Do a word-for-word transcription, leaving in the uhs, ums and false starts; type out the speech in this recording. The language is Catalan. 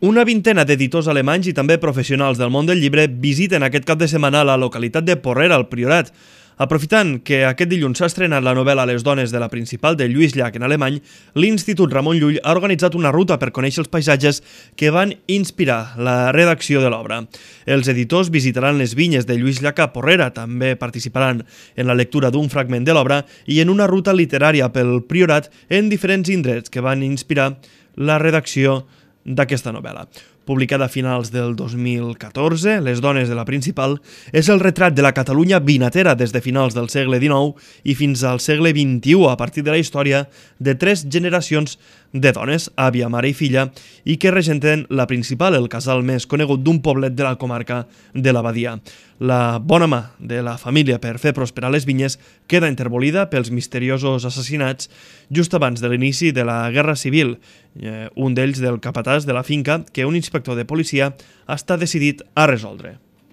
Una vintena d'editors alemanys i també professionals del món del llibre visiten aquest cap de setmana la localitat de Porrera, al Priorat. Aprofitant que aquest dilluns s'ha estrenat la novel·la Les dones de la principal de Lluís Llach en alemany, l'Institut Ramon Llull ha organitzat una ruta per conèixer els paisatges que van inspirar la redacció de l'obra. Els editors visitaran les vinyes de Lluís Llach a Porrera, també participaran en la lectura d'un fragment de l'obra i en una ruta literària pel Priorat en diferents indrets que van inspirar la redacció d'aquesta novel·la. Publicada a finals del dos mil catorze, Les dones de la principal és el retrat de la Catalunya vinatera des de finals del segle dinou i fins al segle vint-i-u a partir de la història de tres generacions de dones, àvia, mare i filla, i que regenten la principal, el casal més conegut d'un poblet de la comarca de la Badia. La bona mà de la família per fer prosperar les vinyes queda interbolida pels misteriosos assassinats just abans de l'inici de la Guerra Civil, eh, un d'ells del capatàs de la finca que un inspector de policia està decidit a resoldre.